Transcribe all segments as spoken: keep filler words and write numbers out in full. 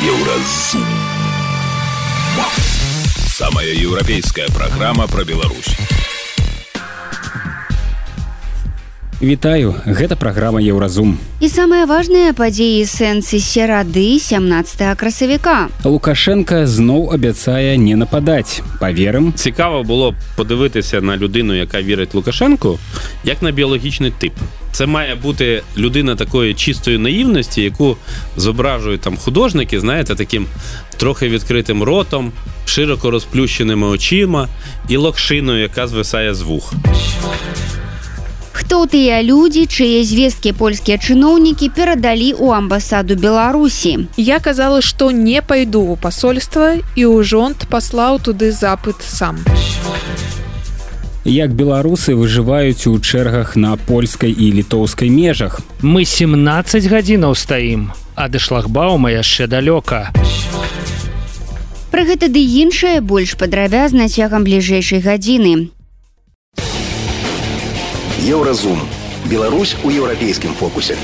Еўразум. Самая еўрапейская праграма пра Беларусь. Вітаю, гэта праграма Еўразум. І самыя важныя падзеі сэнсы серады сямнаццатага красавіка. Лукашенка зноў абяцае не нападаць. Паверым. Цікаво було подивитися на людину, яка вірить Лукашенку, як на біологічний тип. Це має бути людина такої чистої наївності, яку зображують там художники, знаєте, таким трохи відкритим ротом, широко розплющеними очима і локшиною, яка звисає з вух. Хто тыя людзі, чые звесткі польскія чыноўнікі перадалі ў амбасаду Беларусі? Я казала, што не пайду ў пасольства, і ўжонт паслаў туды запыт сам. Як беларусы выжываюць у чэргах на польскай і літоўскай межах? Мы семнаццаць гадзінаў стаім, а да шлагбаума яшчэ далёка. Пра гэта ды іншае больш падрабязна цягам бліжэйшай гадзіны. Еўразум. Беларусь у еўрапейскім фокусе.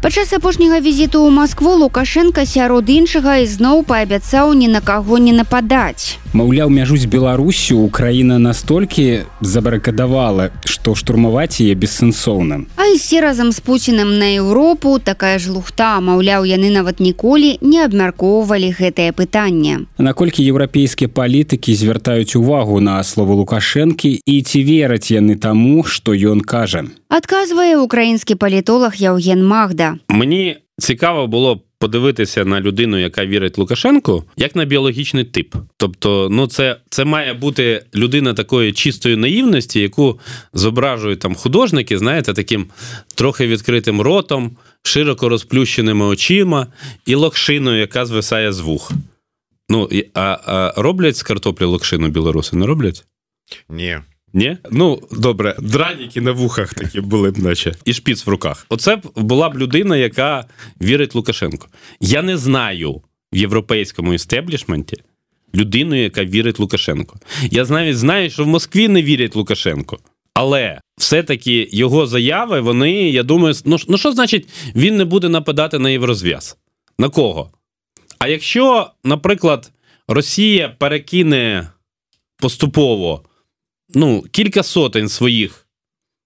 Падчас апошняга візіту ў Маскву Лукашенка сярод іншага ізноў паабяцаў ні на каго не нападаць. Маўляў, мяжу з Беларуссю Украіна настолькі забарыкадавала, што штурмаваць яе бессэнсоўна. А ісці разам з Пуцінам на Еўропу такая ж лухта, маўляў, яны нават ніколі не абмяркоўвалі гэтае пытанне. Наколькі еўрапейскія палітыкі звяртаюць увагу на словы Лукашэнкі і ці вераць яны таму, што ён кажа? Адказвае украінскі палітолог Яўген Магда. Мені цікаво було подивитися на людину, яка вірить Лукашенку, як на біологічний тип. Тобто, ну це, це має бути людина такої чистої наївності, яку зображують там художники, знаєте, таким трохи відкритим ротом, широко розплющеними очима і локшиною, яка звисає з вух. Ну, а, а роблять з картоплі локшину білоруси? Не роблять? Ні. Ні? Ну, добре, драніки на вухах такі були б наче. І шпіц в руках. Оце б була б людина, яка вірить Лукашенку. Я не знаю в європейському істеблішменті людину, яка вірить Лукашенку. Я навіть знаю, що в Москві не вірять Лукашенку. Але все-таки його заяви, вони, я думаю, ну, ну що значить він не буде нападати на Єврозв'яз? На кого? А якщо, наприклад, Росія перекине поступово ну, кілька сотень своїх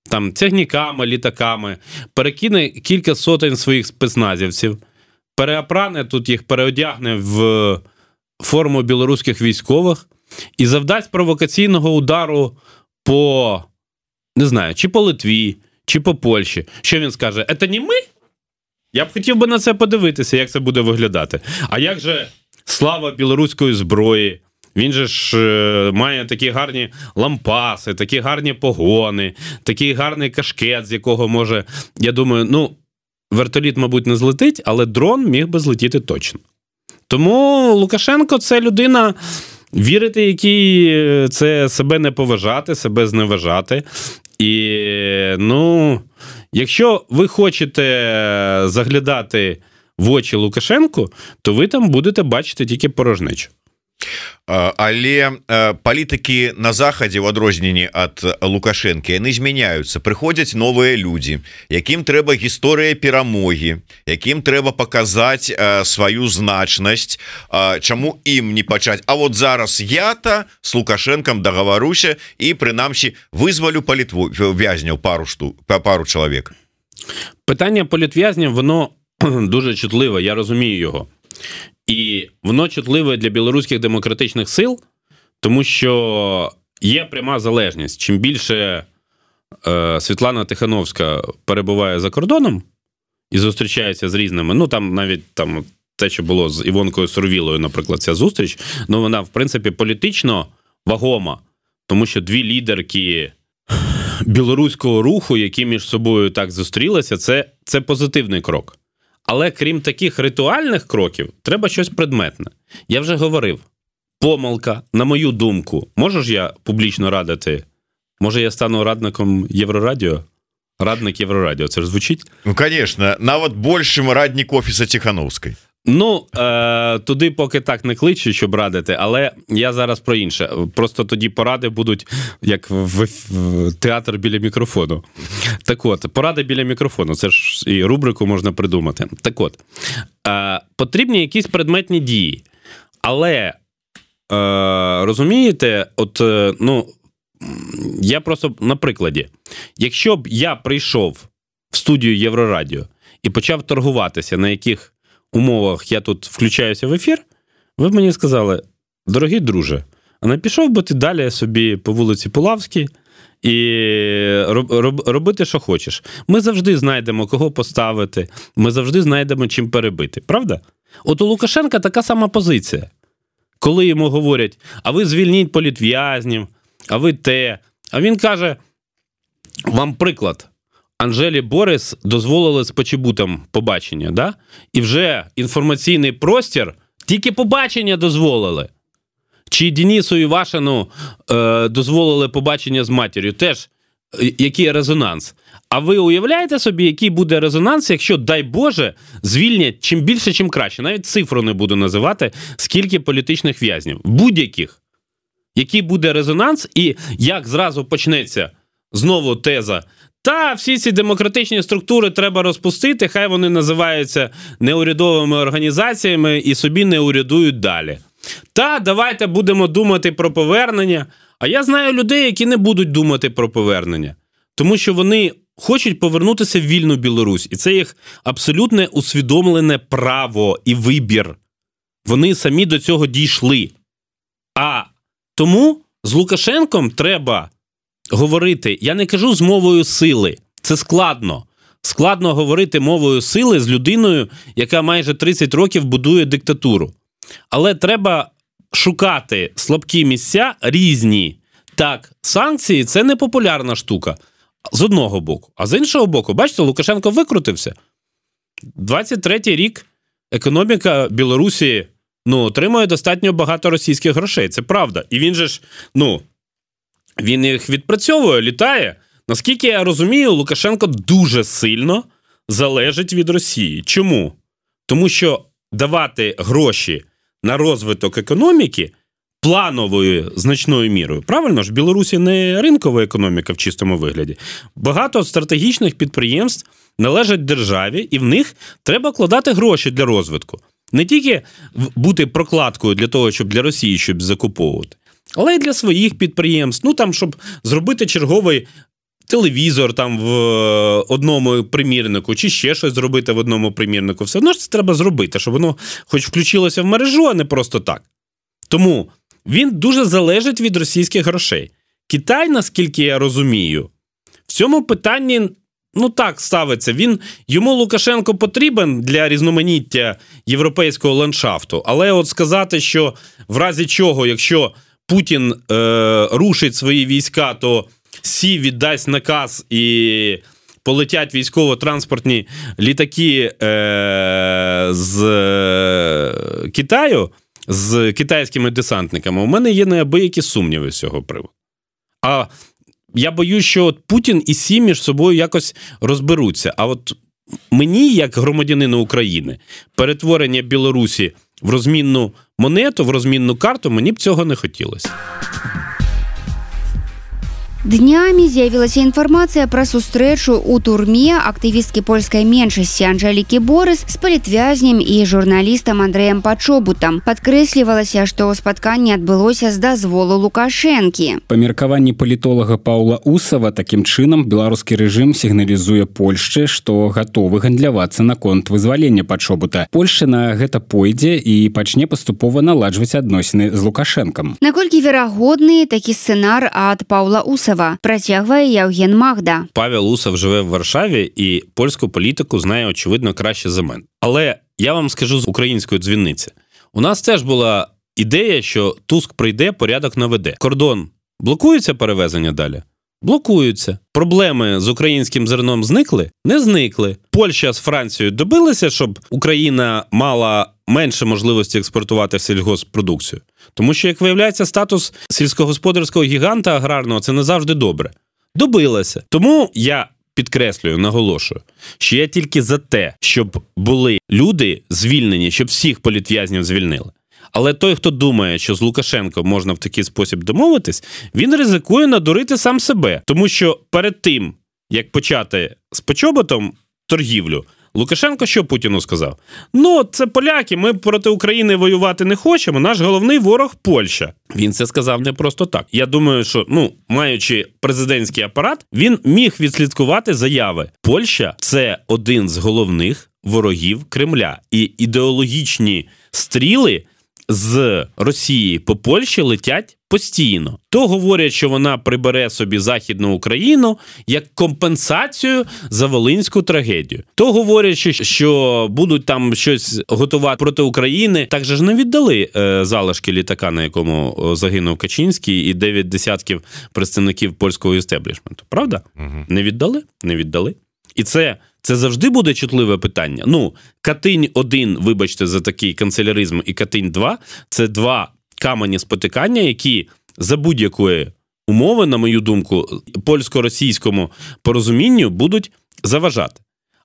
там тягніками, літаками, перекине кілька сотень своїх спецназівців, переопране тут їх, переодягне в форму білоруських військових і завдасть провокаційного удару по, не знаю, чи по Литві, чи по Польщі. Що він скаже? «Це не ми?» Я б хотів би на це подивитися, як це буде виглядати. А як же слава білоруської зброї? Він же ж е, має такі гарні лампаси, такі гарні погони, такий гарний кашкет, з якого може, я думаю, ну, вертоліт, мабуть, не злетить, але дрон міг би злетіти точно. Тому Лукашенко – це людина, вірити якій це себе не поважати, себе зневажати. І, ну, якщо ви хочете заглядати в очі Лукашенку, то ви там будете бачити тільки порожнечу. Але палітыкі на захадзе ў адрозненні ад Лукашэнкі яны змяняюцца, прыходзяць новыя людзі, якім трэба гісторыя перамогі, якім трэба паказаць сваю значнасць, чаму ім не пачаць. А вот зараз я-то с Лукашэнкам дагаваруся і прынамсі вызвалю палітвязняў пару штук, пару чалавек. Питання політв'язнів, воно дуже чутливе, я розумію його. І воно чутливе для білоруських демократичних сил, тому що є пряма залежність. Чим більше е, Світлана Тихановська перебуває за кордоном і зустрічається з різними, ну там навіть там те, що було з Івонкою Сурвілою, наприклад, ця зустріч, ну вона, в принципі, політично вагома, тому що дві лідерки білоруського руху, які між собою так зустрілися, це, це позитивний крок. Але крім таких ритуальних кроків, треба щось предметне. Я вже говорив, помилка, на мою думку, можу ж я публічно радити? Може я стану радником Єврорадіо? Радник Єврорадіо, це ж звучить? Ну, конечно, нават большим радник офіса Тихановской. Ну, е, туди поки так не кличу, щоб радити, але я зараз про інше. Просто тоді поради будуть, як в, в театр біля мікрофону. Так от, поради біля мікрофону, це ж і рубрику можна придумати. Так от, е, потрібні якісь предметні дії, але, е, розумієте, от, е, ну, я просто на прикладі. Якщо б я прийшов в студію Єврорадіо і почав торгуватися, на яких умовах я тут включаюся в ефір, ви б мені сказали: дорогий друже, а не пішов би ти далі собі по вулиці Пулавській і роб, роб, робити, що хочеш. Ми завжди знайдемо, кого поставити, ми завжди знайдемо, чим перебити. Правда? От у Лукашенка така сама позиція. Коли йому говорять: а ви звільніть політв'язнів, а ви те. А він каже: вам приклад. Анжелі Борис дозволили з почебутом побачення, да? І вже інформаційний простір тільки побачення дозволили. Чи Денису Івашину е, дозволили побачення з матір'ю, теж який резонанс. А ви уявляєте собі, який буде резонанс, якщо, дай Боже, звільнять чим більше, чим краще. Навіть цифру не буду називати, скільки політичних в'язнів. Будь-яких. Який буде резонанс і як зразу почнеться знову теза: та всі ці демократичні структури треба розпустити, хай вони називаються неурядовими організаціями і собі не урядують далі. Та давайте будемо думати про повернення. А я знаю людей, які не будуть думати про повернення. Тому що вони хочуть повернутися в вільну Білорусь. І це їх абсолютне усвідомлене право і вибір. Вони самі до цього дійшли. А тому з Лукашенком треба говорити, я не кажу з мовою сили, це складно. Складно говорити мовою сили з людиною, яка майже тридцять років будує диктатуру. Але треба шукати слабкі місця різні. Так, санкції – це не популярна штука. З одного боку. А з іншого боку, бачите, Лукашенко викрутився. двадцять третій рік економіка Білорусі, ну, отримує достатньо багато російських грошей. Це правда. І він же ж, ну, він їх відпрацьовує, літає. Наскільки я розумію, Лукашенко дуже сильно залежить від Росії. Чому? Тому що давати гроші на розвиток економіки плановою значною мірою. Правильно ж, в Білорусі не ринкова економіка в чистому вигляді. Багато стратегічних підприємств належать державі, і в них треба вкладати гроші для розвитку. Не тільки бути прокладкою для того, щоб для Росії щоб закуповувати, але й для своїх підприємств. Ну, там, щоб зробити черговий телевізор там в одному примірнику, чи ще щось зробити в одному примірнику. Все одно ж це треба зробити, щоб воно хоч включилося в мережу, а не просто так. Тому він дуже залежить від російських грошей. Китай, наскільки я розумію, в цьому питанні, ну так, ставиться. Він, йому Лукашенко потрібен для різноманіття європейського ландшафту, але от сказати, що в разі чого, якщо Путін е, рушить свої війська, то Сі віддасть наказ і полетять військово-транспортні літаки е, з Китаю, з китайськими десантниками, у мене є неабиякі сумніви з цього приводу. А я боюсь, що от Путін і Сі між собою якось розберуться. А от мені, як громадянину України, перетворення Білорусі в розмінну монету, в розмінну карту, мені б цього не хотілося. Днямі з'явілася інфармацыя пра сустрэчу ў турме актывісткі польскай меншасці Анжелікі Борис з палітвязнем і журналістам Андрэем Пачобутам. Падкрэслівалася, што спатканне адбылося з дазволу Лукашэнкі. Па меркаванні палітолага Паўла Усава, такім чынам беларускі рэжым сігналізуе Польшчы, што гатовы гандлявацца наконт вызвалення Пачобута. Польшча на гэта пойдзе і пачне паступова наладжваць адносіны з Лукашэнкам. Наколькі верагодны такі сцэнар ад Паўла Усава? Протягує Євген Магда. Павел Усов живе в Варшаві і польську політику знає, очевидно, краще за мене. Але я вам скажу з української дзвіниці. У нас теж була ідея, що Туск прийде, порядок наведе. Кордон блокується перевезення далі? Блокуються. Проблеми з українським зерном зникли? Не зникли. Польща з Францією добилися, щоб Україна мала менше можливості експортувати сільгоспродукцію. Тому що, як виявляється, статус сільськогосподарського гіганта аграрного – це не завжди добре. Добилася. Тому я підкреслюю, наголошую, що я тільки за те, щоб були люди звільнені, щоб всіх політв'язнів звільнили. Але той, хто думає, що з Лукашенко можна в такий спосіб домовитись, він ризикує надурити сам себе. Тому що перед тим, як почати з Почоботом торгівлю, Лукашенко що Путіну сказав? Ну, це поляки, ми проти України воювати не хочемо, наш головний ворог – Польща. Він це сказав не просто так. Я думаю, що, ну, маючи президентський апарат, він міг відслідкувати заяви. Польща – це один з головних ворогів Кремля. І ідеологічні стріли з Росії по Польщі летять постійно. То говорять, що вона прибере собі Західну Україну як компенсацію за Волинську трагедію. То говорять, що, що будуть там щось готувати проти України. Так же ж не віддали е, залишки літака, на якому загинув Качинський, і дев'ять десятків представників польського істеблішменту. Правда? Угу. Не віддали? Не віддали. І це... Це завжди буде чутливе питання. Ну, Катинь один, вибачте за такий канцеляризм, і Катинь два – це два камені спотикання, які за будь-якої умови, на мою думку, польсько-російському порозумінню будуть заважати.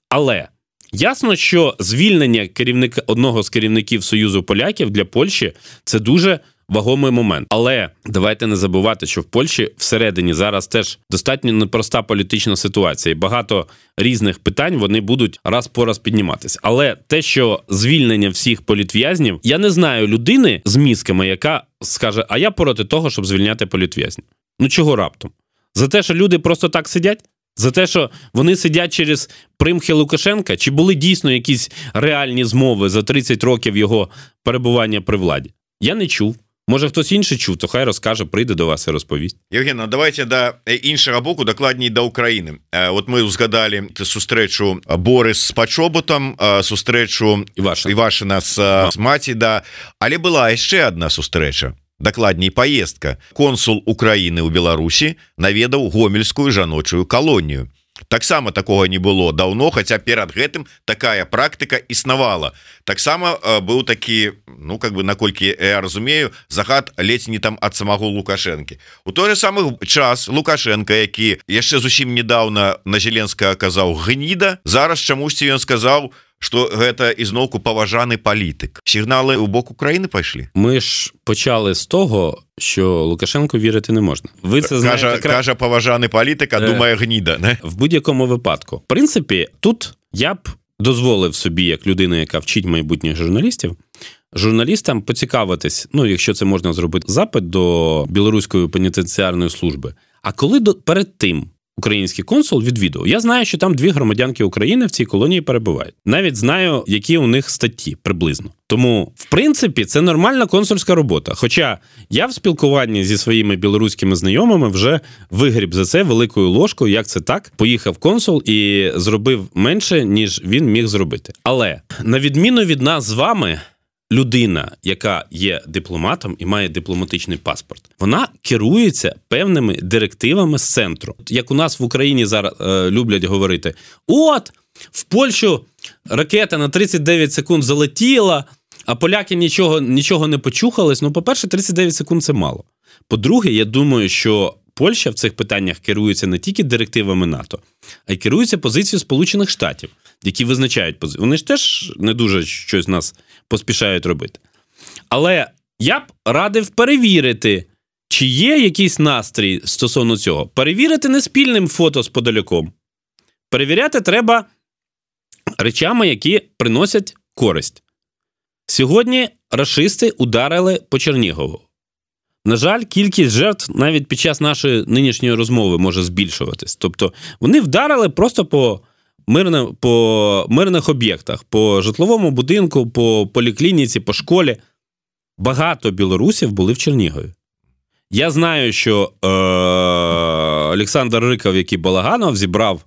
Але ясно, що звільнення керівника, одного з керівників Союзу поляків для Польщі – це дуже вагомий момент. Але давайте не забувати, що в Польщі всередині зараз теж достатньо непроста політична ситуація. І багато різних питань вони будуть раз по раз підніматися. Але те, що звільнення всіх політв'язнів, я не знаю людини з мізками, яка скаже, а я проти того, щоб звільняти політв'язнів. Ну чого раптом? За те, що люди просто так сидять? За те, що вони сидять через примхи Лукашенка? Чи були дійсно якісь реальні змови за тридцять років його перебування при владі? Я не чув. Може, хтось інший чув, то хай розкаже, прийде до вас і розповість. Євген, ну давайте до іншого боку, докладніше до України. От ми згадали сустрэчу Борис з Пачоботом, сустрэчу Івашина, Івашина з, з Маті, да. Але була ще одна сустрэча, докладней поездка. Консул України ў Беларусі наведаў гомельскую жаночую калонію. Таксама такого не было давно, хотя перад гэтым такая практыка існавала. Таксама э, быў такі, ну как бы наколькі я разумею, захад ледзь не там ад самого Лукашэнкі. У той же самы час Лукашенко, які яшчэ зусім недавно на Зеленскага казаў гніда, зараз чамусьці ён сказаў, што гэта ізноўку паважаны палітык. Сігналы ў бок України пайшлі? Ми ж почали з того, що Лукашенку вірити не можна. Ви це знаєте, каже, кра... каже поважаний політик, а думає гніда. Не? В будь-якому випадку. В принципі, тут я б дозволив собі, як людина, яка вчить майбутніх журналістів, журналістам поцікавитись, ну, якщо це можна зробити, запит до Білоруської пенітенціарної служби. А коли до... перед тим український консул відвідував. Я знаю, що там дві громадянки України в цій колонії перебувають. Навіть знаю, які у них статті приблизно. Тому, в принципі, це нормальна консульська робота. Хоча я в спілкуванні зі своїми білоруськими знайомими вже вигріб за це великою ложкою, як це так. Поїхав консул і зробив менше, ніж він міг зробити. Але, на відміну від нас з вами, людина, яка є дипломатом і має дипломатичний паспорт, вона керується певними директивами з центру. Як у нас в Україні зараз е, люблять говорити, от, в Польщу ракета на тридцять дев'ять секунд залетіла, а поляки нічого, нічого не почухались. Ну, по-перше, тридцять дев'ять секунд – це мало. По-друге, я думаю, що Польща в цих питаннях керується не тільки директивами НАТО, а й керується позицією Сполучених Штатів, які визначають позицію. Вони ж теж не дуже щось нас поспішають робити. Але я б радив перевірити, чи є якийсь настрій стосовно цього. Перевірити не спільним фото з подаляком. Перевіряти треба речами, які приносять користь. Сьогодні рашисти ударили по Чернігову. На жаль, кількість жертв навіть під час нашої нинішньої розмови може збільшуватись. Тобто вони вдарили просто по, мирне, по мирних об'єктах, по житловому будинку, по поліклініці, по школі. Багато білорусів були в Чернігові. Я знаю, що е- Олександр Риков, який Балаганов, зібрав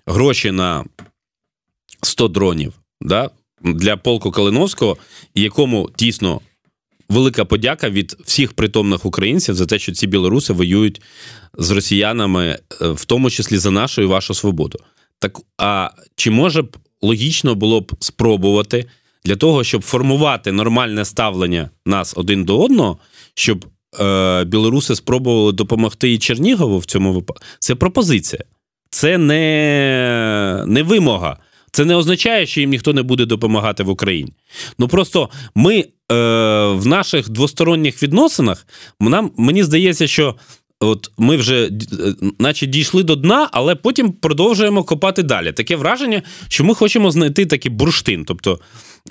гроші на сто дронів, да, для полку Калиновського, якому тісно велика подяка від всіх притомних українців за те, що ці білоруси воюють з росіянами, в тому числі за нашу і вашу свободу. Так, а чи може б логічно було б спробувати для того, щоб формувати нормальне ставлення нас один до одного, щоб е, білоруси спробували допомогти і Чернігову в цьому випадку? Це пропозиція. це не, не вимога. Це не означає, що їм ніхто не буде допомагати в Україні. Ну просто ми е, в наших двосторонніх відносинах, нам, мені здається, що от ми вже наче дійшли до дна, але потім продовжуємо копати далі. Таке враження, що ми хочемо знайти такий бурштин, тобто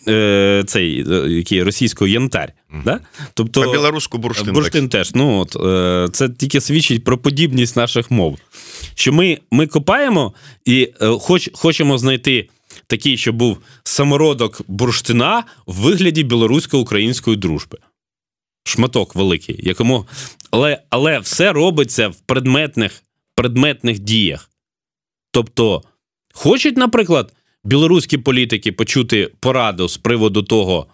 е, цей який російський янтарь. Mm. Да? Тобто, по-білоруську бурштин. Бурштин так. Теж. Ну, от, е, це тільки свідчить про подібність наших мов. Що ми, ми копаємо і е, хоч, хочемо знайти такий, що був самородок бурштина в вигляді білорусько-української дружби. Шматок великий, якому... Але, але все робиться в предметних, предметних діях. Тобто, хочуть, наприклад, білоруські політики почути пораду з приводу того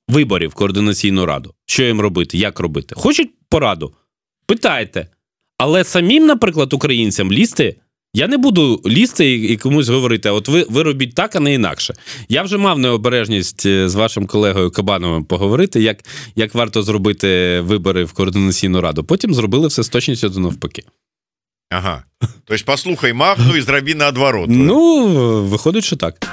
виборів в Координаційну раду. Що їм робити, як робити? Хочуть пораду? Питайте. Але самим, наприклад, українцям лізти, я не буду лізти і комусь говорити, а от ви, ви робіть так, а не інакше. Я вже мав необережність з вашим колегою Кабановим поговорити, як, як варто зробити вибори в Координаційну раду. Потім зробили все з точністю до навпаки. Ага. Тобто послухай Магну і зроби наадварот. Ну, виходить, що так.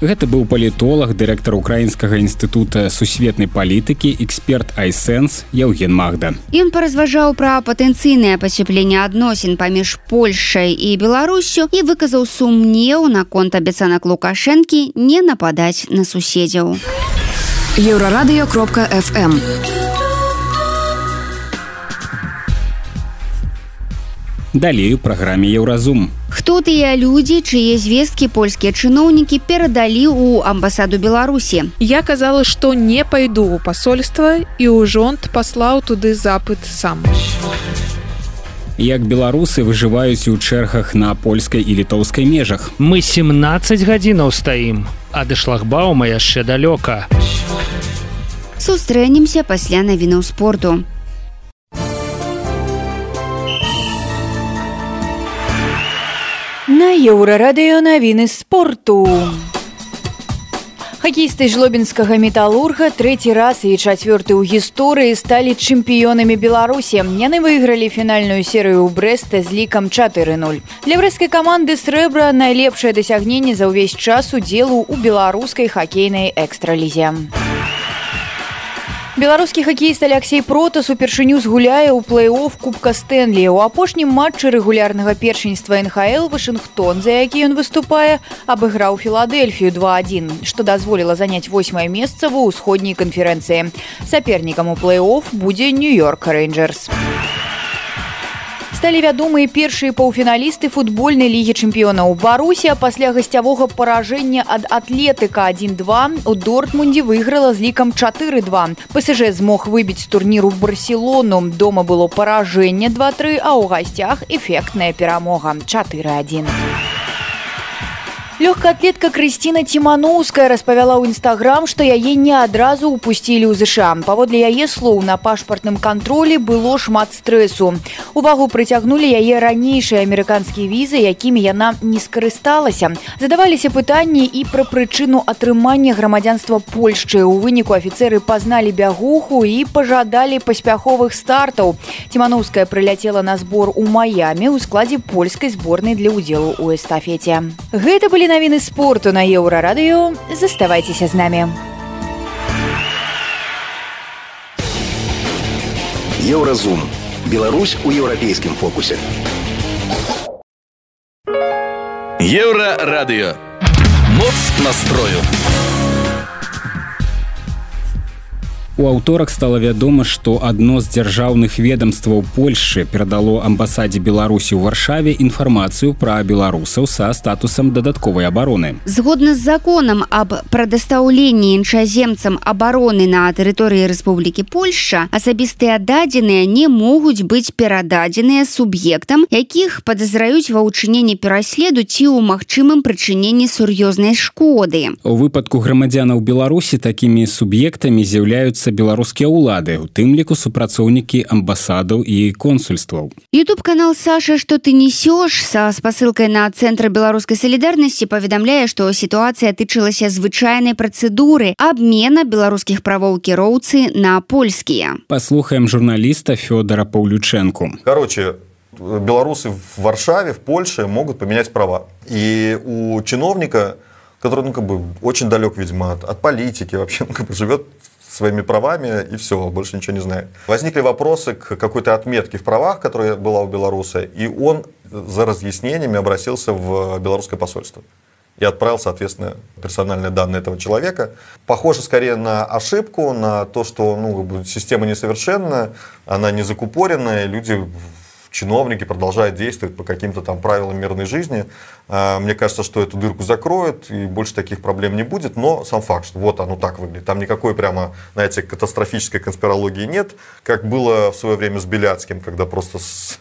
Гэта быў палітолог, дырэктар Украінскага інстытута сусветнай палітыкі, эксперт iSense Яўген Магда. Ён паразважаў пра патэнцыйнае пацяпленне адносін паміж Польшай і Беларуссю і выказаў сумнеў наконт абяцанак Лукашэнкі не нападаць на суседзяў. еўрарадыё кропка эф эм Далей у праграме Еўразум. Хто тыя людзі, чые звесткі польскія чыноўнікі перадалі ў амбасаду Беларусі? Я казала, што не пайду ў пасольства, і ўжонт паслаў туды запыт сам. Як беларусы выжываюць у чэргах на польскай і літоўскай межах? Мы семнаццаць гадзінаў стаім, а да шлагбаума яшчэ далёка. Сустрэнемся пасля навінаў спорту. На Еўрарадыё навіны спорту. Хакеісты жлобінскага металурга трэці раз і чацвёрты ў гісторыі сталі чэмпіёнамі Беларусі. Яны выйгралі фінальную серыю ў Брэста з лікам чатыры нуль. Для брэсцкай каманды срэбра найлепшае дасягненне за ўвесь час удзелу ў беларускай хакейнай экстралізе. Беларускі хакеіст Аляксей Протас упершыню згуляе ў плэй-офф Кубка Стэнлі. У апошнім матчы рэгулярнага першынства эн ха эл Вашынгтон, за які ён выступае, абыграў Філадэльфію два адзін, што дазволіла заняць восьмае месца ва ўсходняй канферэнцыі. Сапернікам у плэй-офф будзе Нью-Йорк Рэйнджэрс. Сталі вядомыя першыя паўфіналісты футбольнай лігі чэмпіёнаў. Барусія пасля гасцявога паражэння ад Атлетыка адзін два у Дортмундзе выйграла з лікам чатыры два. пэ эс жэ змог выбіць з турніру Барселону. Дома было паражэнне два тры, а ў гасцях эфектная перамога чатыры адзін. Лёгкаатлетка Крысціна Ціманоўская распавяла ў Інстаграм, што яе не адразу ўпусцілі ў зэ ша. Паводле яе слоў, на пашпартным кантролі было шмат стрэсу. Увагу прыцягнулі яе ранейшыя амерыканскія візы, якімі яна не скарысталася. Задаваліся пытанні і пра прычыну атрымання грамадзянства Польшчы. У выніку афіцэры пазналі бягуху і пажадалі паспяховых стартаў. Ціманоўская прыляцела на збор у Маямі ў складзе польскай зборнай для ўдзелу ў эстафеце. Гэта былі навіны спорту на Еўрарадыё. Заставайцеся з намі. Еўразум. Беларусь у еўрапейскім фокусе. Еўрарадыё. Моц настрою. У аўторак стала вядома, што адно з дзяржаўных ведамстваў Польшчы перадало амбасадзе Беларусі ў Варшаве інфармацыю пра беларусаў са статусам дадатковай абароны. Згодна з законам аб прадастаўленні іншаземцам абароны на тэрыторыі Рэспублікі Польшча, асабістыя дадзеныя не могуць быць перададзеныя суб'ектам, якіх падазраюць ва ўчыненні пераследу ці ў магчымым прычыненні сур'ёзнай шкоды. У выпадку грамадзянаў Беларусі такімі суб'ектамі з'яўляюцца беларускія ўлады, у тым ліку супрацоўнікі амбасадаў і консульстваў. Ютуб-канал «Саша, што ты несёш» са спасылкай на Цэнтр беларускай салідарнасці паведамляе, што сітуацыя тычылася звычайнай працэдуры абмена беларускіх правоў кіроўцы на польскія. Паслухаем журналіста Фёдора Паўлючэнку. Короче, Белорусы в Варшаве, в Польше могут поменять права. И у чиновника, который, ну, как бы, очень далек, видимо, от, от политики, вообще, ну, как бы, живет своими правами и все, больше ничего не знает. Возникли вопросы к какой-то отметке в правах, которая была у белоруса, и он за разъяснениями обратился в белорусское посольство и отправил, соответственно, персональные данные этого человека. Похоже скорее на ошибку, на то, что, ну, система несовершенная, она не закупоренная, люди, чиновники продолжают действовать по каким-то там правилам мирной жизни. Мне кажется, что эту дырку закроют, и больше таких проблем не будет, но сам факт, что вот оно так выглядит. Там никакой прямо, знаете, катастрофической конспирологии нет, как было в свое время с Беляцким, когда просто с...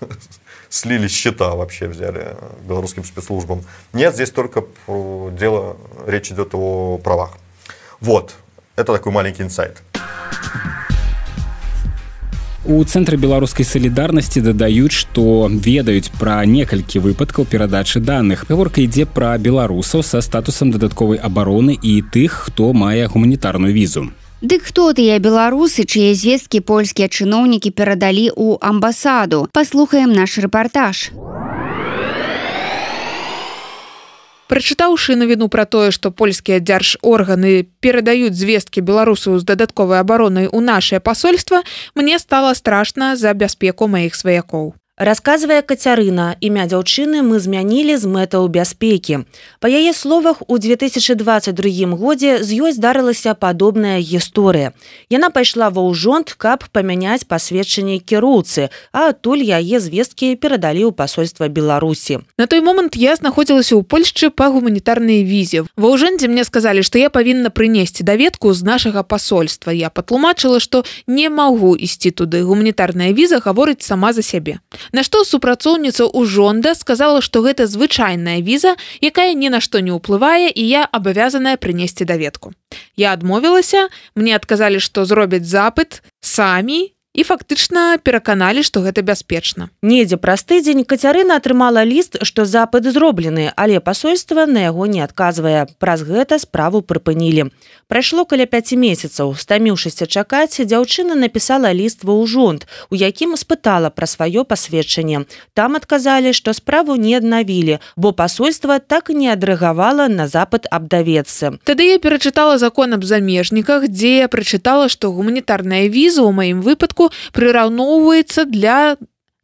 слили счета вообще, взяли белорусским спецслужбам. Нет, здесь только дело, речь идет о правах. Вот, это такой маленький инсайт. У цэнтры беларускай салідарнасці дадаюць, што ведаюць пра некалькі выпадкаў перадачы даных. Гаворка ідзе пра беларусаў са статусам дадатковай абароны і тых, хто мае гуманітарную візу. Дык хто тыя беларусы, чые звесткі польскія чыноўнікі перадалі ў амбасаду? Паслухаем наш рэпартаж. Прачытаўшы навіну пра тое, што польскія дзяржорганы перадаюць звесткі беларусаў з дадатковай абаронай у нашае пасольства, мне стала страшна за бяспеку маіх сваякоў. Расказвае Кацярына, імя дзяўчыны мы змянілі з мэтаў бяспекі. Па яе словах, у две тысячы дваццаць другім годзе з ёй здарылася падобная гісторыя. Яна пайшла ва ўжонт, каб памяняць пасведчанне кіроўцы, а адтуль яе звесткі перадалі ў пасольства Беларусі. На той момант я знаходзілася ў Польшчы па гуманітарнай візе. Ва ўжондзе мне сказалі, што я павінна прынесці даведку з нашага пасольства. Я патлумачыла, што не магу ісці туды. Гуманітарная віза гаворыць сама за сябе. На што супрацоўніца ўжонда сказала, што гэта звычайная віза, якая ні на што не ўплывае, і я абавязаная прынесці даведку. Я адмовілася, мне адказалі, што зробяць запыт самі, і фактычна пераканалі, што гэта бяспечна. Недзе праз тыдзень Кацярына атрымала ліст, што запыт зроблены, але пасольства на яго не адказвае. Праз гэта справу прыпынілі. Прайшло каля пяці месяцаў. Стаміўшыся чакаць, дзяўчына напісала ліст ва ўжонт, у якім спытала пра сваё пасведчанне. Там адказалі, што справу не аднавілі, бо пасольства так і не адрэагавала на запыт аб даведцы. Тады я перачытала закон аб замежніках, дзе я прачытала, што гуманітарная віза ў маім выпадку прыраўноўваецца для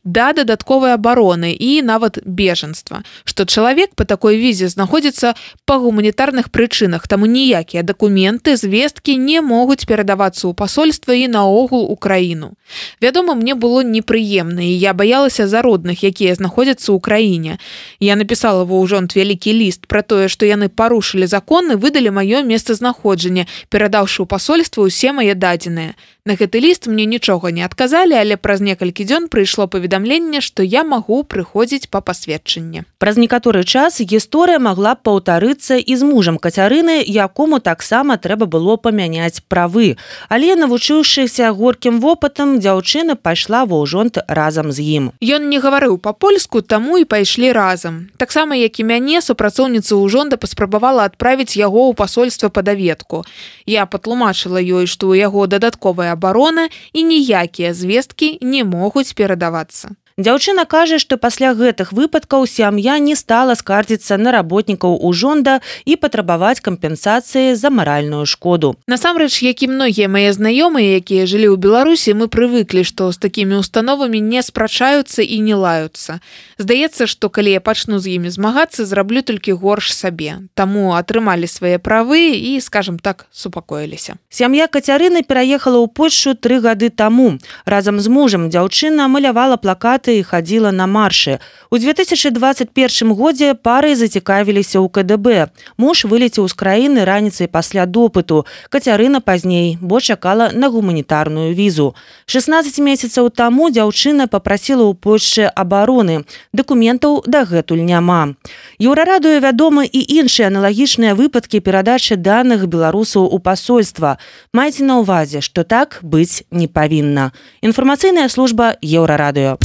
да дадатковай абароны і нават бежанства, што чалавек па такой візе знаходзіцца па гуманітарных прычынах, таму ніякія дакументы, звесткі не могуць перадавацца ў пасольства і наогул у краіну. Вядома, мне было непрыемна, і я баялася за родных, якія знаходзяцца ў краіне. Я напісала ва ўжонт вялікі ліст пра тое, што яны парушылі закон і выдалі маё месцазнаходжанне, перадаўшы ў пасольства ўсе мае дадзеныя. На гэты ліст мне нічога не адказалі, але праз некалькі дзён прыйшло паведамленне, што я магу прыходзіць па пасведчанне. Праз некаторы час гісторыя магла б паўтарыцца і з мужам Кацярыны, якому таксама трэба было памяняць правы. Але, навучыўшыся горкім вопытам, дзяўчына пайшла ва ўжонт разам з ім. Ён не гаварыў па-польску, таму і пайшлі разам. Таксама, як і мяне, супрацоўніца ўжонда паспрабавала адправіць яго ў пасольства па даведку. Я патлумачыла ёй, што ў яго дадатковая абарона і ніякія звесткі не могуць перадавацца. Дзяўчына кажа, што пасля гэтых выпадкаў сям'я не стала скардзіцца на работнікаў ўжонда і патрабаваць кампенсацыі за маральную шкоду. Насамрэч, як і многія мае знаёмыя, якія жылі ў Беларусі, мы прывыклі, што з такімі установамі не спрачаюцца і не лаюцца. Здаецца, што калі я пачну з імі змагацца, зраблю толькі горш сабе. Таму атрымалі свае правы і, скажам так, супакоіліся. Сям'я Кацярыны пераехала ў Польшчу тры гады таму. Разам з мужам дзяўчына малявала плакаты і хадзіла на маршы. У две тысячы дваццаць першым годзе пары зацікавіліся ў ка дэ бэ. Муж вылецеў з краіны раніцай пасля допыту. Кацярына пазней, бо чакала на гуманітарную візу. шаснаццаць месяцаў таму дзяўчына папрасіла ў Польшчы абароны. Дакументаў дагэтуль няма. Еўрарадыё вядома і іншыя аналагічныя выпадкі перадачы даных беларусаў у пасольства. Майце на ўвазе, што так быць не павінна. Інфармацыйная служба Еўрарадыё.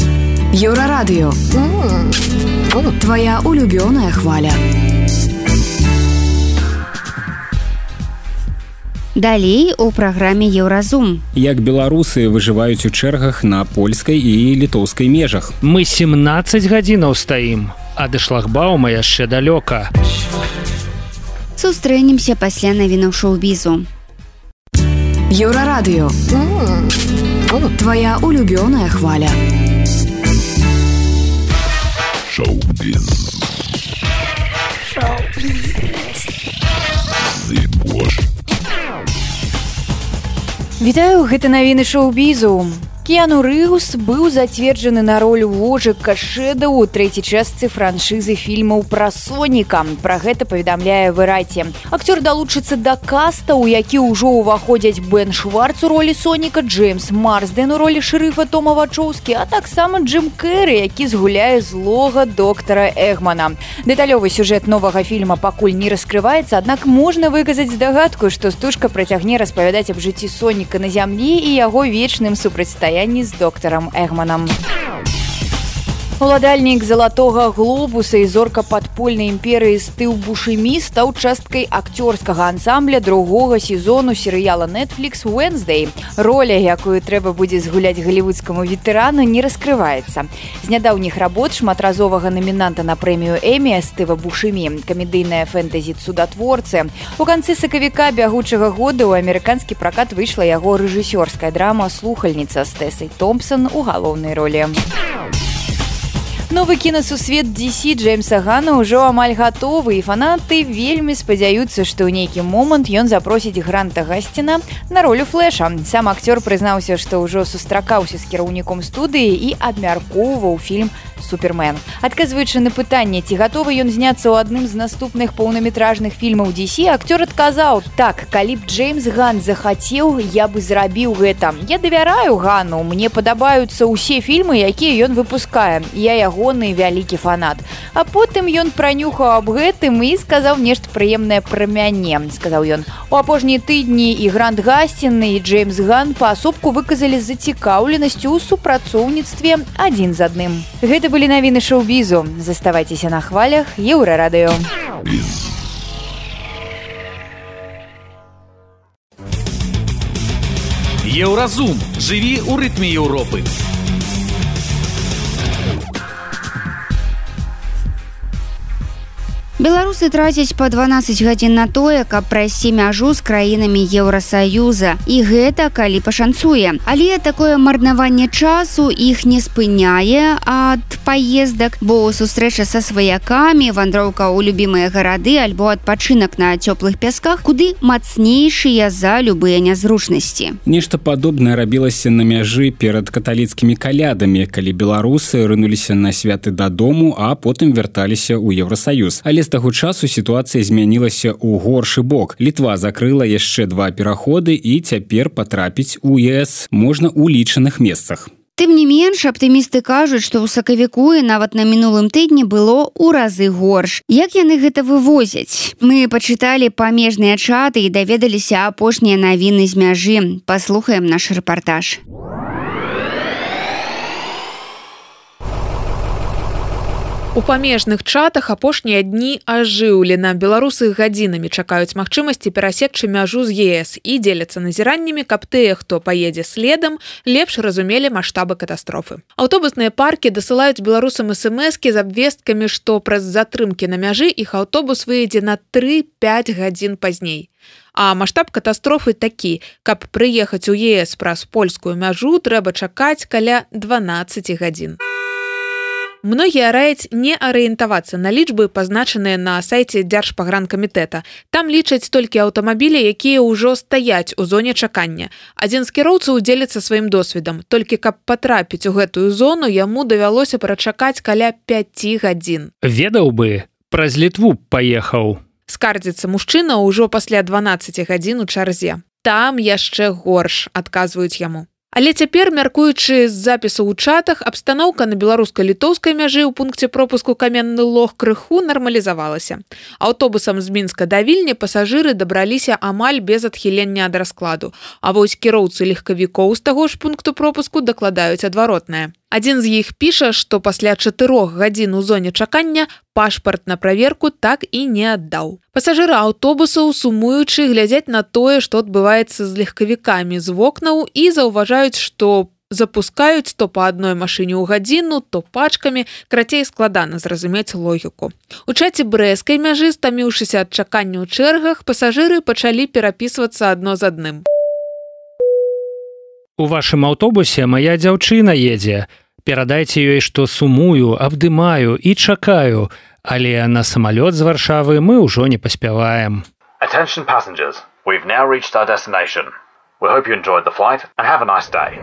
Еўрарадыё. Твоя улюбёная хваля. Далей у праграме Еўразум. Як беларусы выжываюць у чэргах на польскай і літоўскай межах. Мы семнаццаць гадзінаў стаім, а да шлагбаума яшчэ далёка. Сустрэнемся пасля навінаў шоу-бізу. Еўрарадыё. Твоя улюбёная хваля. Шоу-біз. Вітаю, гэта навіны шоу-бізу. Кіану Рыўс быў зацверджаны на ролю вожыка Шэда ў трэцяй частцы франшызы фільмаў пра Соніка. Пра гэта паведамляе Вэрайце. Акцёр далучыцца да каста, у які ўжо ўваходзяць Бен Шварц у ролі Соніка, Джеймс Марсден у ролі шэрыфа Тома Вачоўскі, а таксама Джим Кэррі, які згуляе злога доктара Эгмана. Дэталёвы сюжэт новага фільма пакуль не раскрываецца, аднак можна выказаць здагадку, што стужка працягне распавядаць аб жыцці Соніка на зямлі і яго вечным супрацьстаянні з доктарам Эгманам. Уладальнік залатога глобуса і зорка падпольнай імперыі Стыў Бушэмі стаў часткай акцёрскага ансамбля другога сезону серыяла Netflix Wednesday. Роля, якую трэба будзе згуляць галівудскаму ветэрану, не раскрываецца. З нядаўніх работ шматразовага намінанта на прэмію Эмі Стыва Бушэмі, камедыйная фэнтэзі «Цудатворцы». У канцы сакавіка бягучага года ў амерыканскі пракат выйшла яго рэжысёрская драма «Слухальніца» з Тэсай Томпсон у галоўнай ролі. Новы кінасусвет ді сі Джеймса Гана ўжо амаль гатовы, і фанаты вельмі спадзяюцца, што ў нейкі момант ён запросіць Гранта Гасціна на ролю Флэша. Сам акцёр прызнаўся, што ўжо сустракаўся з кіраўніком студыі і абмяркоўваў фільм «Супермен». Адказваючы на пытанне, ці гатовы ён зняцца ў адным з наступных паўнаметражных фільмаў ді сі, акцёр адказаў: «Так, калі б Джеймс Ган захацеў, я бы зрабіў гэта. Я давяраю Гану, мне падабаюцца ўсе фільмы, якія ён выпускае. Я ягоны вялікі фанат». А потым ён пранюхаў аб гэтым і сказаў нешта прыемнае пра мяне. Сказаў ён: «У апошнія тыдні і Грант Гастін, і Джеймс Ган паасобку выказалі зацікаўленасць у супрацоўніцтве адзін з адным». Гэта былі навіны шоу-бізу. Заставайцеся на хвалях Еўрарадыё. Еўразум. Жыві ў рытме Еўропы. Беларусы трацяць па дванаццаць гадзін на тое, каб прайсці мяжу з краінамі Еўрасаюза. І гэта калі пашанцуе. Але такое марнаванне часу іх не спыняе ад паездак, бо сустрэча са сваякамі, вандроўка ў любімыя гарады альбо адпачынак на цёплых пясках куды мацнейшыя за любыя нязручнасці. Нешта падобнае рабілася на мяжы перад каталіцкімі калядамі, калі беларусы рынуліся на святы дадому, а потым вярталіся ў Еўрасаюз. Але з таго часу сітуацыя змянілася ў горшы бок. Літва закрыла яшчэ два пераходы і цяпер патрапіць у ЕС можна ў лічаных месцах. Тым не менш, аптымісты кажуць, што ў сакавіку і нават на мінулым тыдні было ў разы горш. Як яны гэта вывозяць? Мы пачыталі памежныя чаты і даведаліся апошнія навіны з мяжы. Паслухаем наш рэпартаж. У памежных чатах апошнія дні ажыўлена. Беларусы гадзінамі чакаюць магчымасці перасекчы мяжу з ЕС і дзеляцца назіраннямі, каб тыя, хто паедзе следам, лепш разумелі маштабы катастрофы. Аўтобусныя паркі дасылаюць беларусам эс-эм-эскі з абвесткамі, што праз затрымкі на мяжы іх аўтобус выедзе на тры-пяць гадзін пазней. А маштаб катастрофы такі: каб прыехаць у ЕС праз польскую мяжу, трэба чакаць каля дванаццаць гадзін. Многія раяць не арыентавацца на лічбы, пазначаныя на сайце Дзяржпагранкамітэта. Там лічаць толькі аўтамабілі, якія ўжо стаяць у зоне чакання. Адзін з кіроўцаў дзеліцца сваім досведам. Толькі каб патрапіць у гэтую зону, яму давялося прачакаць каля пяці гадзін. Ведаў бы, праз Літву паехаў. Скардзіцца мужчына ўжо пасля дванаццаці гадзін у чарзе. Там яшчэ горш, адказваюць яму. Але цяпер, мяркуючы з запісу ў чатах, абстаноўка на беларуска-літоўскай мяжы ў пункце пропуску Каменны Лог крыху нармалізавалася. Аўтобусам з Мінска да Вільні пасажыры дабраліся амаль без адхілення ад раскладу, а вось кіроўцы легкавікоў з таго ж пункту пропуску дакладаюць адваротнае. Адзін з іх піша, што пасля чатырох гадзін у зоне чакання пашпарт на праверку так і не аддаў. Пасажыры аўтобусаў, сумуючы, глядзяць на тое, што адбываецца з легкавікамі з вокнаў і заўважаюць, што запускаюць то па адной машыне ў гадзіну, то пачкамі, крацей складана зразумець логіку. У чаце брэскай мяжы, стаміўшыся ад чакання ў чэргах, пасажыры пачалі перапісвацца адно з адным. У вашым аўтобусе мая дзяўчына едзе. Перадайце ёй, што сумую, абдымаю і чакаю, але на самалёт з Варшавы мы ўжо не паспяваем. Attention passengers, we've now reached our destination. We hope you enjoyed the flight and have a nice day.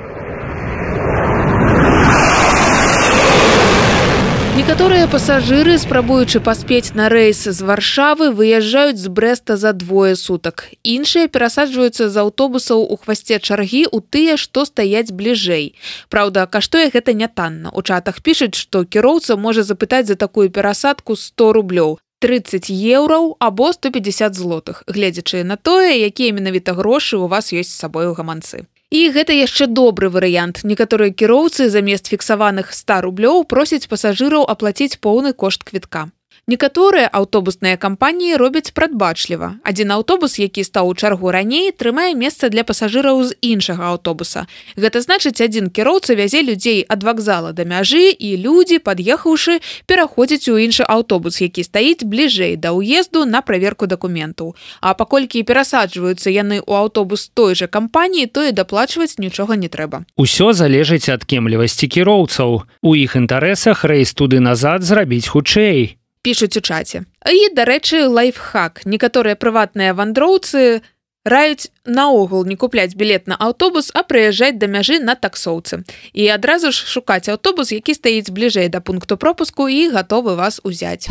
Некаторыя пасажыры, спрабуючы паспець на рэйс з Варшавы, выязджаюць з Брэста за двое сутак. Іншыя перасаджваюцца з аўтобусаў у хвасце чаргі ў тыя, што стаяць бліжэй. Праўда, каштуе гэта нятанна. У чатах пішуць, што кіроўца можа запытаць за такую перасадку сто рублёў, трыццаць еўраў або сто пятьдесят злотых, гледзячы на тое, якія менавіта грошы ў вас ёсць з сабой у гаманцы. І гэта яшчэ добры варыянт. Некаторыя кіроўцы замест фіксаваных ста рублёў просяць пасажыраў аплаціць поўны кошт квітка. Некаторыя аўтобусныя кампаніі робяць прадбачліва. Адзін аўтобус, які стаў у чаргу раней, трымае месца для пасажыраў з іншага аўтобуса. Гэта значыць, адзін кіроўца вязе людзей ад вакзала да мяжы, і людзі, пад'ехаўшы, пераходзяць у іншы аўтобус, які стаіць бліжэй да ўезду на праверку дакументаў. А паколькі перасаджваюцца яны ў аўтобус той жа кампаніі, то і даплачваць нічога не трэба. Усё залежыць ад кемлівасці кіроўцаў. У іх інтарэсах рэйс туды-назад зрабіць хутчэй. Пішуць у чаце. І, дарэчы, лайфхак. Некаторыя прыватныя вандроўцы раюць наогул не купляць білет на аўтобус, а прыязджаць да мяжы на таксоўцы. І адразу ж шукаць аўтобус, які стаіць бліжэй да пункту пропуску і гатовы вас узяць.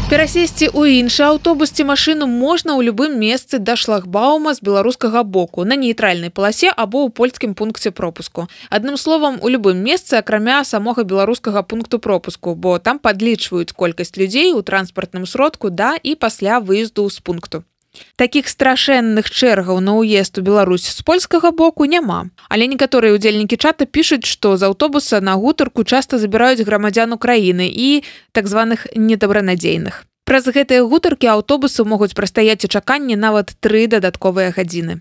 Перасесці ў іншы аўтобус ці машыну можна ў любым месцы да шлагбаума з беларускага боку, на нейтральнай паласе або ў польскім пункце пропуску. Адным словам, у любым месцы, акрамя самога беларускага пункту пропуску, бо там падлічваюць колькасць людзей у транспартным сродку да і пасля выезду з пункту. Такіх страшэнных чэргаў на ўезд у Беларусь з польскага боку няма. Але некаторыя ўдзельнікі чата пішуць, што з аўтобуса на гутарку часта забіраюць грамадзян Украіны і так званых недабранадзейных. Праз гэтыя гутаркі аўтобусы могуць прастаяць у чаканні нават тры дадатковыя гадзіны.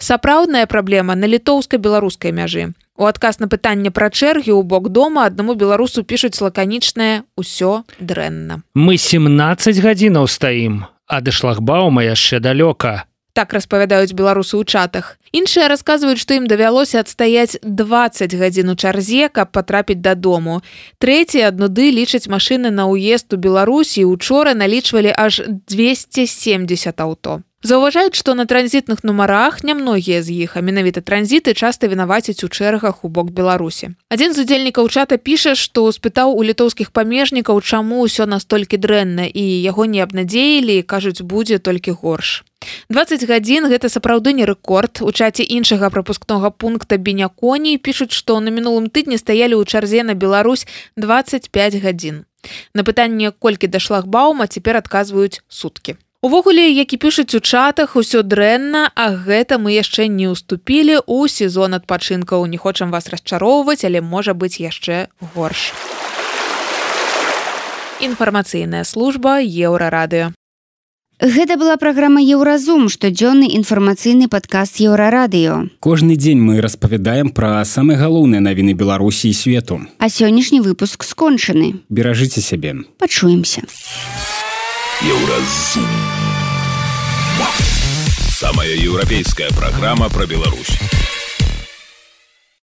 Сапраўдная праблема на літоўска-беларускай мяжы. У адказ на пытанне пра чэргі ў бок дома аднаму беларусу пішуць лаканічнае «Усё дрэнна». Мы семнаццаць гадзінаў стаім, а да шлагбаума яшчэ далёка. Так распавядаюць беларусы ў чатах. Іншыя расказваюць, што ім давялося адстаяць дваццаць гадзін у чарзе, каб патрапіць дадому. Трэція ад нуды лічаць машыны на ўезд у Беларусі, учора налічвалі аж дзвесце семдзесят аўто. Заўважаюць, што на транзітных нумарах нямногія з іх, а менавіта транзіты часта вінавацяць у чэргах у бок Беларусі. Адзін з удзельнікаў чата піша, што спытаў у літоўскіх памежнікаў, чаму ўсё настолькі дрэнна, і яго не абнадзеілі, кажуць, будзе толькі горш. дваццаць гадзін гэта сапраўды не рэкорд. У чаце іншага прапускнога пункта Беняконі пішуць, што на мінулым тыдні стаялі ў чарзе на Беларусь дваццаць пяць гадзін. На пытанне, колькі да шлагбаума, цяпер адказваюць суткі. Увогуле, які пішуць у чатах, усё дрэнна, а гэта мы яшчэ не ўступілі ў сезон адпачынкаў. Не хочам вас расчароўваць, але можа быць яшчэ горш. Інфармацыйная служба Еўрарадыё. Гэта была праграма «Еўразум», штодзённы інфармацыйны падкаст Еўрарадыё. Кожны дзень мы распавядаем пра самыя галоўныя навіны Беларусі і свету. А сённяшні выпуск скончаны. Беражыце сябе. Пачуемся. Еўразум. Самая еўрапейская программа про Беларусь.